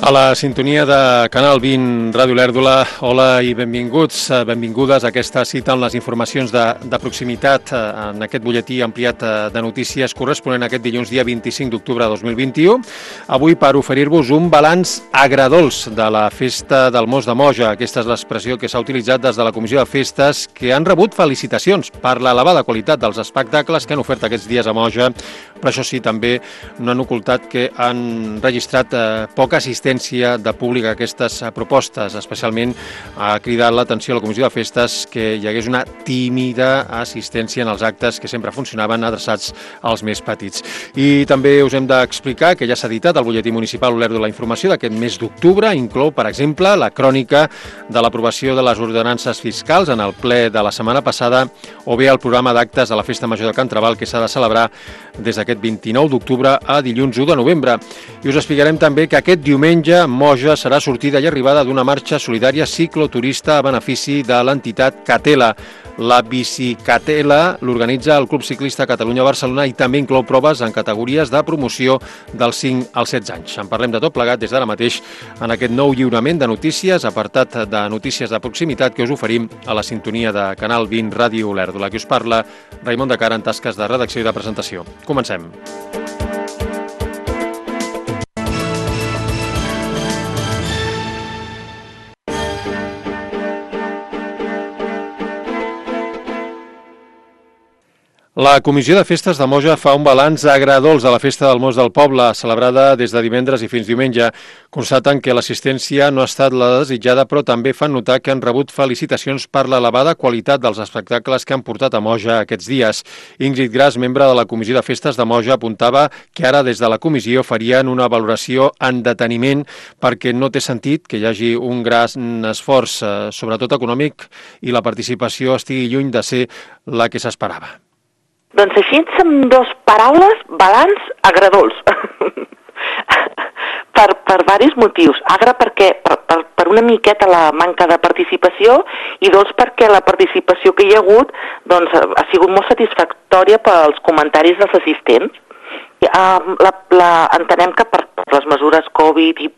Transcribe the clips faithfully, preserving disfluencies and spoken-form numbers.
A la sintonia de Canal vint, Ràdio Lèrdula, hola i benvinguts, benvingudes a aquesta cita amb les informacions de, de proximitat en aquest butlletí ampliat de notícies corresponent a aquest dilluns dia vint-i-cinc d'octubre de dos mil vint-i-u. Avui per oferir-vos un balanç agradols de la Festa del Mos de Moja. Aquesta és l'expressió que s'ha utilitzat des de la Comissió de Festes, que han rebut felicitacions per l'elevada qualitat dels espectacles que han ofert aquests dies a Moja, però això sí, també no han ocultat que han registrat eh, poca assistència de públic a aquestes propostes. Especialment ha cridat l'atenció a la Comissió de Festes que hi hagués una tímida assistència en els actes que sempre funcionaven adreçats als més petits. I també us hem d'explicar que ja s'ha editat el butlletí municipal Olèrdola la informació d'aquest mes d'octubre. Inclou, per exemple, la crònica de l'aprovació de les ordenances fiscals en el ple de la setmana passada o bé el programa d'actes de la Festa Major de Can Trabal que s'ha de celebrar des d'aquest vint-i-nou d'octubre a dilluns u de novembre. I us explicarem també que aquest diumenge Moja serà sortida i arribada d'una marxa solidària cicloturista a benefici de l'entitat Catela. La Bicicatela l'organitza el Club Ciclista Catalunya-Barcelona i també inclou proves en categories de promoció dels cinc als setze anys. En parlem de tot plegat des d'ara mateix en aquest nou lliurament de notícies, apartat de notícies de proximitat que us oferim a la sintonia de Canal vint Ràdio Lèrdula. Qui us parla, Raimon de Cara, en tasques de redacció i de presentació. Comencem. La Comissió de Festes de Moja fa un balanç agradols de la Festa del Mos del Poble, celebrada des de divendres i fins diumenge. Constaten que l'assistència no ha estat la desitjada, però també fan notar que han rebut felicitacions per l'elevada qualitat dels espectacles que han portat a Moja aquests dies. Ingrid Gras, membre de la Comissió de Festes de Moja, apuntava que ara des de la comissió farien una valoració en deteniment perquè no té sentit que hi hagi un gran esforç, sobretot econòmic, i la participació estigui lluny de ser la que s'esperava. Doncs així, amb dues paraules, balanç agradols. per, per diversos motius. Agra perquè, per, per, per una miqueta la manca de participació i dos perquè la participació que hi ha hagut doncs, ha sigut molt satisfactòria pels comentaris dels assistents. Uh, la, la, entenem que per, per les mesures Covid i,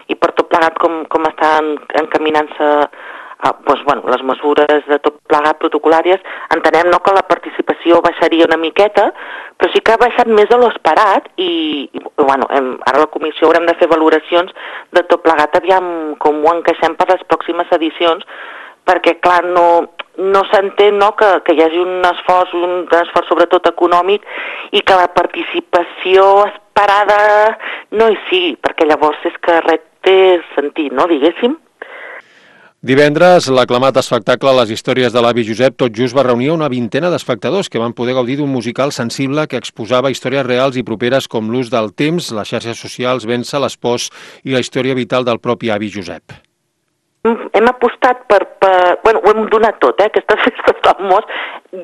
i per tot plegat com, com estan encaminant-se Uh, doncs, bueno, les mesures de tot plegat protocolàries, entenem no, que la participació baixaria una miqueta, però sí que ha baixat més de l'esperat i, i bueno, hem, ara a la comissió haurem de fer valoracions de tot plegat, aviam com ho encaixem per les pròximes edicions, perquè clar, no, no s'entén no, que, que hi hagi un esforç, un esforç sobretot econòmic i que la participació esperada no hi sigui, perquè llavors és que res té sentit, no, diguéssim. Divendres, l'aclamat espectacle Les històries de l'avi Josep tot just va reunir una vintena d'espectadors que van poder gaudir d'un musical sensible que exposava històries reals i properes com l'ús del temps, les xarxes socials, vèncer l'espòs i la història vital del propi avi Josep. Hem apostat per... per bueno, ho hem donat tot, eh, aquestes festes del Mos,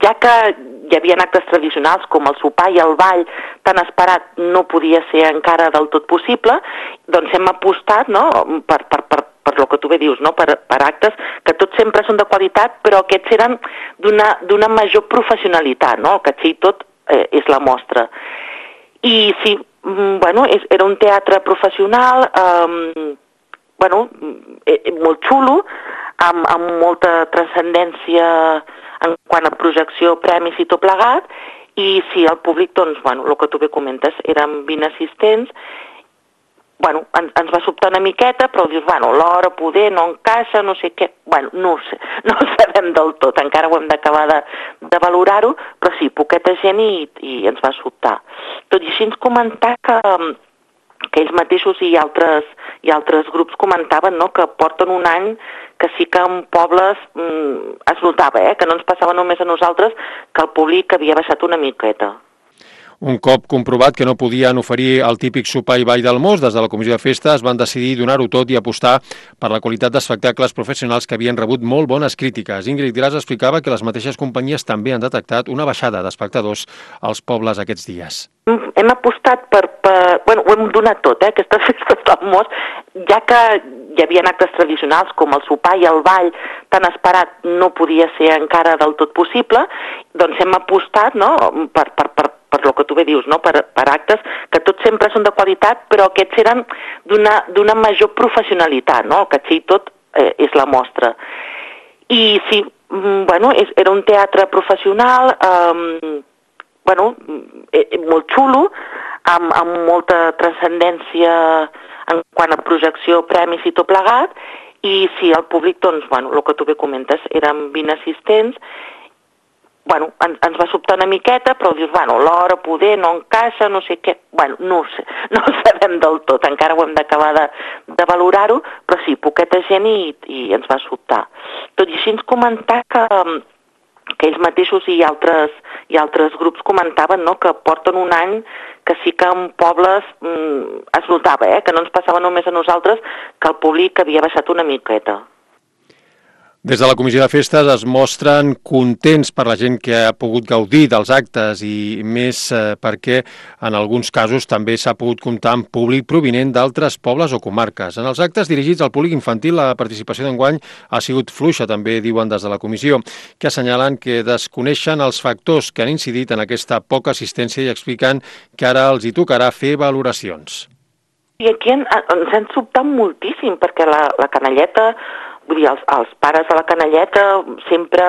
ja que hi havia actes tradicionals com el sopar i el ball tan esperat no podia ser encara del tot possible, doncs hem apostat no, per, per, per per lo que tu bé dius, no? per, per actes que tots sempre són de qualitat, però aquests eren d'una major professionalitat, no? El catxer i tot eh, és la mostra. I sí, bueno, és, era un teatre professional, eh, bueno, eh, molt xulo, amb, amb molta transcendència en quant a projecció, premis i tot plegat, i sí, el públic, doncs, bueno, el que tu bé comentes, eren vint assistents. Bueno, ens, ens va sobtar una miqueta, però dius, bueno, l'hora poder no encaixa, no sé què... Bueno, no ho sé, no ho sabem del tot, encara ho hem d'acabar de, de valorar-ho, però sí, poqueta gent i, i ens va sobtar. Tot i així ens comentar que, que ells mateixos i altres, i altres grups comentaven no, que porten un any que sí que en pobles mm, es notava, eh, que no ens passava només a nosaltres, que el públic havia baixat una miqueta. Un cop comprovat que no podien oferir el típic sopar i ball del Mos, des de la Comissió de Festes van decidir donar-ho tot i apostar per la qualitat d'espectacles professionals que havien rebut molt bones crítiques. Ingrid Gras explicava que les mateixes companyies també han detectat una baixada d'espectadors als pobles aquests dies. Hem apostat per... per bueno, ho hem donat tot, eh, aquestes festes del Mos, ja que hi havia actes tradicionals com el sopar i el ball tan esperat no podia ser encara del tot possible, doncs hem apostat no, per, per, per per lo que tu bé dius, no? per, per actes, que tots sempre són de qualitat, però aquests eren d'una major professionalitat, no? El Catxell tot eh, és la mostra. I sí, bueno, és, era un teatre professional, eh, bueno, eh, molt xulo, amb, amb molta transcendència en quant a projecció, premis i tot plegat, i sí, el públic, doncs, bueno, el que tu bé comentes, eren vint assistents. Bueno, ens, ens va sobtar una miqueta, però dius, bueno, l'hora poder no encaixa, no sé què... Bueno, no ho sé, no ho sabem del tot, encara ho hem d'acabar de, de valorar-ho, però sí, poqueta gent i, i ens va sobtar. Tot i així ens comentar que, que ells mateixos i altres, i altres grups comentaven, no?, que porten un any que sí que en pobles mm, es notava, eh?, que no ens passava només a nosaltres, que el públic havia baixat una miqueta. Des de la Comissió de Festes es mostren contents per la gent que ha pogut gaudir dels actes i més eh, perquè en alguns casos també s'ha pogut comptar amb públic provinent d'altres pobles o comarques. En els actes dirigits al públic infantil la participació d'enguany ha sigut fluixa, també diuen des de la comissió, que assenyalen que desconeixen els factors que han incidit en aquesta poca assistència i expliquen que ara els hi tocarà fer valoracions. I aquí en, ens han sobtat moltíssim perquè la, la canalleta... Vull dir, els, els pares de la canalleta sempre,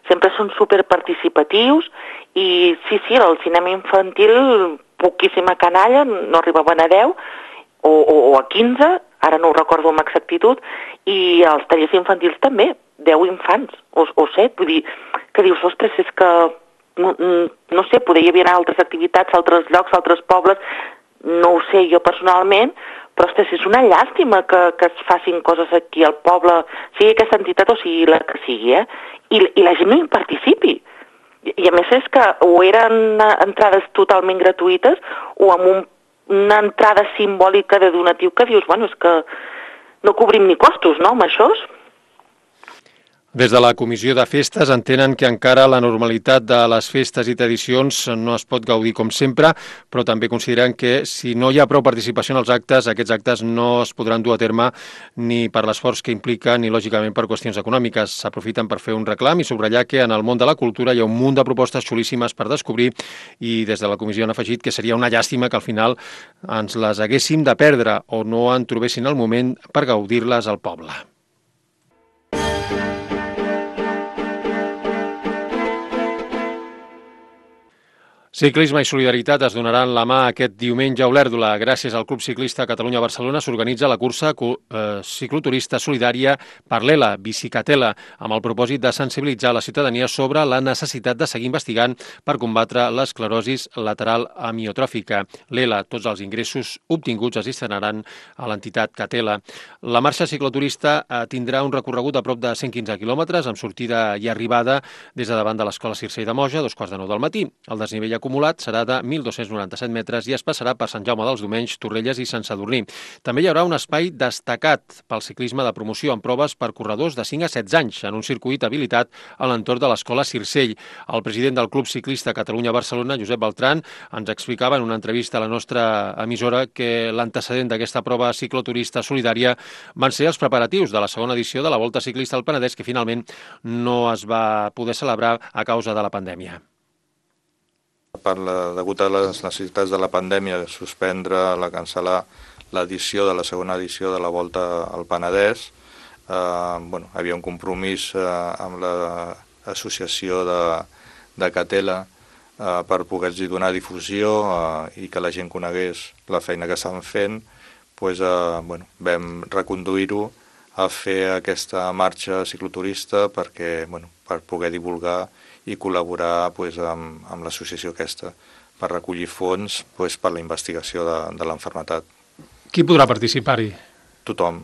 sempre són superparticipatius i sí, sí, el cinema infantil, poquíssima canalla, no arribaven a deu o, o, o a quinze, ara no ho recordo amb exactitud, i els tallers infantils també, deu infants o, o set, vull dir, que dius, ostres, és que, no, no sé, poder hi havia altres activitats, altres llocs, altres pobles, no ho sé jo personalment, però ostres, és una llàstima que, que es facin coses aquí al poble, sigui aquesta entitat o sigui la que sigui, eh? I, i la gent no hi participi. I, i a més és que o eren entrades totalment gratuïtes o amb un, una entrada simbòlica de donatiu que dius, bueno, és que no cobrim ni costos, no?, amb això. Des de la Comissió de Festes entenen que encara la normalitat de les festes i tradicions no es pot gaudir com sempre, però també consideren que si no hi ha prou participació en els actes, aquests actes no es podran dur a terme ni per l'esforç que implica ni, lògicament, per qüestions econòmiques. S'aprofiten per fer un reclam i subratllar que en el món de la cultura hi ha un munt de propostes xulíssimes per descobrir i des de la comissió han afegit que seria una llàstima que al final ens les haguéssim de perdre o no en trobessin el moment per gaudir-les al poble. Ciclisme i solidaritat es donaran la mà aquest diumenge a Olèrdola. Gràcies al Club Ciclista Catalunya-Barcelona s'organitza la cursa eh, cicloturista solidària per l'E L A, Bicicatela, amb el propòsit de sensibilitzar la ciutadania sobre la necessitat de seguir investigant per combatre l'esclerosi lateral amiotròfica. L'E L A, tots els ingressos obtinguts es destinaran a l'entitat Catela. La marxa cicloturista eh, tindrà un recorregut a prop de cent quinze quilòmetres, amb sortida i arribada des de davant de l'Escola Circell de Moja, a dos quarts de nou del matí. El desnivell acumulat serà de mil dos-cents noranta-set metres i es passarà per Sant Jaume dels Domenys, Torrelles i Sant Sadurní. També hi haurà un espai destacat pel ciclisme de promoció amb proves per corredors de cinc a setze anys en un circuit habilitat a l'entorn de l'Escola Circell. El president del Club Ciclista Catalunya-Barcelona, Josep Beltran, ens explicava en una entrevista a la nostra emissora que l'antecedent d'aquesta prova cicloturista solidària van ser els preparatius de la segona edició de la Volta Ciclista al Penedès, que finalment no es va poder celebrar a causa de la pandèmia. Per la, degut a les necessitats de la pandèmia, de suspendre, la cancel·lar l'edició de la segona edició de la Volta al Penedès. Eh, bueno, havia un compromís eh, amb l'associació de, de Catela eh, per poder-hi donar difusió eh, i que la gent conegués la feina que estan fent. Pues, eh, bueno, vam reconduir-ho a fer aquesta marxa cicloturista perquè, bueno, per poder divulgar i col·laborar pues, amb, amb l'associació aquesta per recollir fons pues, per la investigació de, de l'enfermetat. Qui podrà participar-hi? Tothom.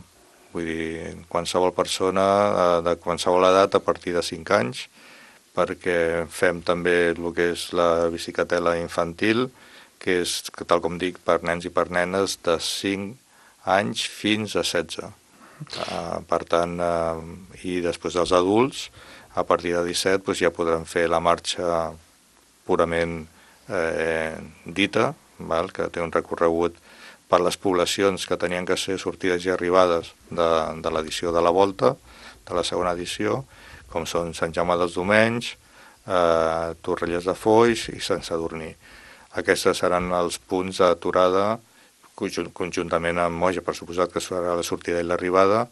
Vull dir, qualsevol persona de qualsevol edat a partir de cinc anys, perquè fem també el que és la bicicatela infantil, que és, tal com dic, per nens i per nenes de cinc anys fins a setze. Uh, per tant, uh, i després dels adults, a partir de disset doncs, ja podran fer la marxa purament eh, dita, val? Que té un recorregut per les poblacions que tenien que ser sortides i arribades de, de l'edició de la Volta, de la segona edició, com són Sant Jaume dels Domenys, eh, Torrelles de Foix i Sant Sadurní. Aquests seran els punts d'aturada, conjuntament amb Moja, per suposat que serà la sortida i l'arribada,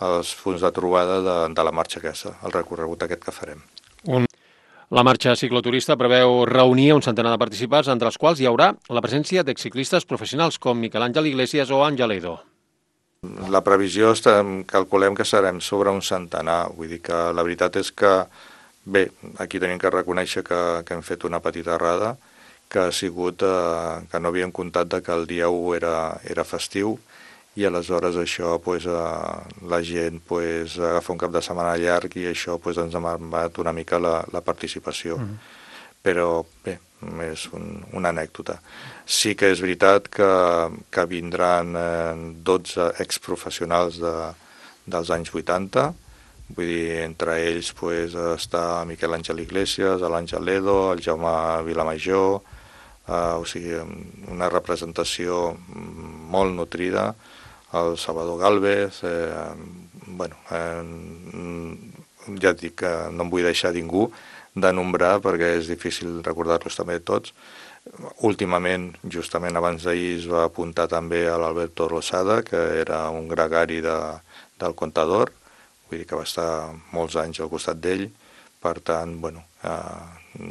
els punts de trobada de, de la marxa aquesta, el recorregut aquest que farem. Un... La marxa cicloturista preveu reunir un centenar de participants, entre els quals hi haurà la presència d'exciclistes professionals com Miquel Àngel Iglesias o Àngel Edo. La previsió estem, calculem que serem sobre un centenar, vull dir que la veritat és que, bé, aquí tenim que reconèixer que, que hem fet una petita errada, que ha sigut eh, que no havíem comptat de que el dia u era, era festiu i aleshores això pues, eh, la gent pues, agafa un cap de setmana llarg i això pues, ens ha marcat una mica la, la participació. Mm. Però bé, és un, una anècdota. Sí que és veritat que, que vindran eh, dotze exprofessionals de, dels anys vuitanta, vull dir, entre ells pues, està Miquel Àngel Iglesias, l'Àngel Edo, el Jaume Vilamajor, Uh, o sigui, una representació molt nutrida, el Salvador Gálvez, eh, bueno, eh, ja et dic que no em vull deixar ningú de nombrar perquè és difícil recordar-los també tots. Últimament, justament abans d'ahir, es va apuntar també a l'Alberto Rosada, que era un gregari de, del Contador, vull dir que va estar molts anys al costat d'ell, per tant, bueno, eh,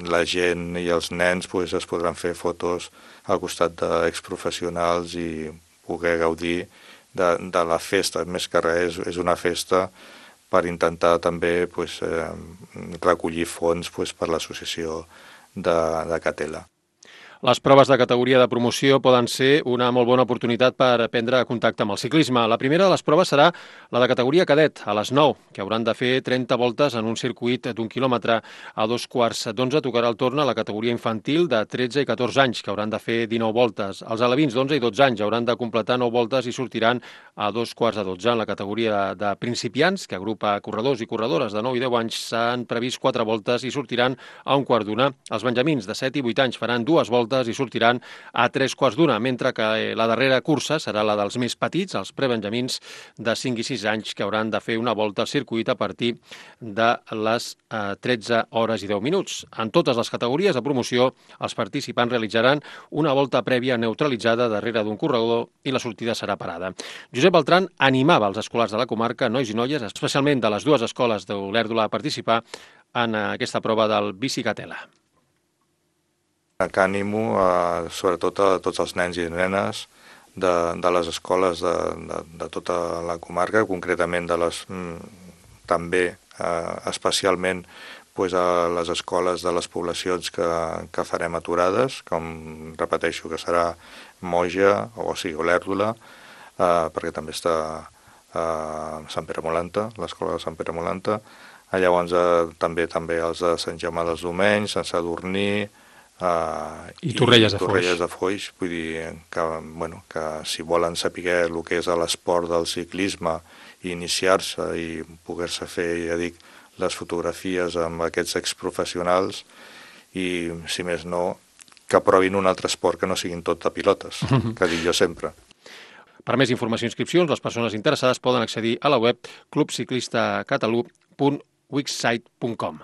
la gent i els nens pues, es podran fer fotos al costat d'exprofessionals i poder gaudir de, de la festa. Més que res, és una festa per intentar també pues, eh, recollir fons pues, per l'associació de, de Catela. Les proves de categoria de promoció poden ser una molt bona oportunitat per prendre contacte amb el ciclisme. La primera de les proves serà la de categoria cadet, a les nou, que hauran de fer trenta voltes en un circuit d'un quilòmetre. A dos quarts d'onze tocarà el torn a la categoria infantil de tretze i catorze anys, que hauran de fer dinou voltes. Els alevins d'onze i dotze anys hauran de completar nou voltes i sortiran a dos quarts de dotze. En la categoria de principiants, que agrupa corredors i corredores de nou i deu anys, s'han previst quatre voltes i sortiran a un quart d'una. Els benjamins de set i vuit anys faran dues voltes i sortiran a tres quarts d'una, mentre que la darrera cursa serà la dels més petits, els prebenjamins de cinc i sis anys, que hauran de fer una volta al circuit a partir de les eh, tretze hores i deu minuts. En totes les categories de promoció, els participants realitzaran una volta prèvia neutralitzada darrere d'un corredor i la sortida serà parada. Josep Beltran animava els escolars de la comarca, nois i noies, especialment de les dues escoles d'Olèrdola, a participar en aquesta prova del Bicicatela. Que animo, eh, sobretot a tots els nens i nenes de, de les escoles de, de, de tota la comarca, concretament de les, també eh, especialment pues, a les escoles de les poblacions que, que farem aturades, com repeteixo que serà Moja, o sigui, Olèrdola, eh, perquè també està eh, Sant Pere Molanta, l'escola de Sant Pere Molanta, llavors eh, també també els de Sant Jaume dels Domenys, Sant Sadurní, Uh, I Torrelles, i Torrelles de Foix, vull dir que, bueno, que si volen saber el que és l'esport del ciclisme i iniciar-se i poder-se fer, ja dic, les fotografies amb aquests exprofessionals i, si més no, que provin un altre esport que no siguin tot de pilotes, que dic jo sempre. Per més informació i inscripcions, les persones interessades poden accedir a la web club ciclista catalu punt wixsite punt com.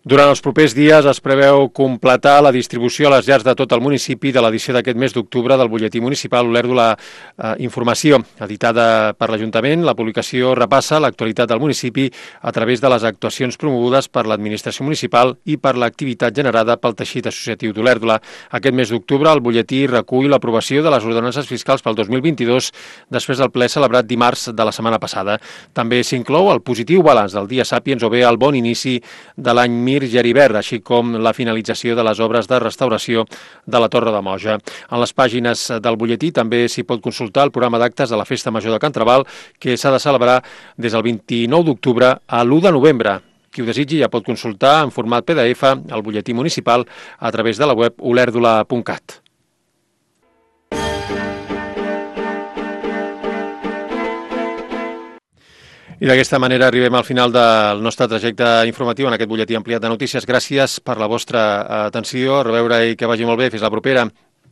Durant els propers dies es preveu completar la distribució a les llars de tot el municipi de l'edició d'aquest mes d'octubre del butlletí municipal Olèrdola eh, Informació. Editada per l'Ajuntament, la publicació repassa l'actualitat del municipi a través de les actuacions promogudes per l'administració municipal i per l'activitat generada pel teixit associatiu d'Olèrdola. Aquest mes d'octubre el butlletí recull l'aprovació de les ordenances fiscals pel dos mil vint-i-dos després del ple celebrat dimarts de la setmana passada. També s'inclou el positiu balanç del Dia Sàpiens o bé el bon inici de l'any Mir Geribert, així com la finalització de les obres de restauració de la Torre de Moja. En les pàgines del butlletí també s'hi pot consultar el programa d'actes de la Festa Major de Can Trabal, que s'ha de celebrar des del vint-i-nou d'octubre a l'u de novembre. Qui ho desitgi ja pot consultar en format P D F el butlletí municipal a través de la web olèrdola punt cat. I d'aquesta manera arribem al final del nostre trajecte informatiu en aquest butlletí ampliat de notícies. Gràcies per la vostra atenció. A reveure i que vagi molt bé. Fins la propera.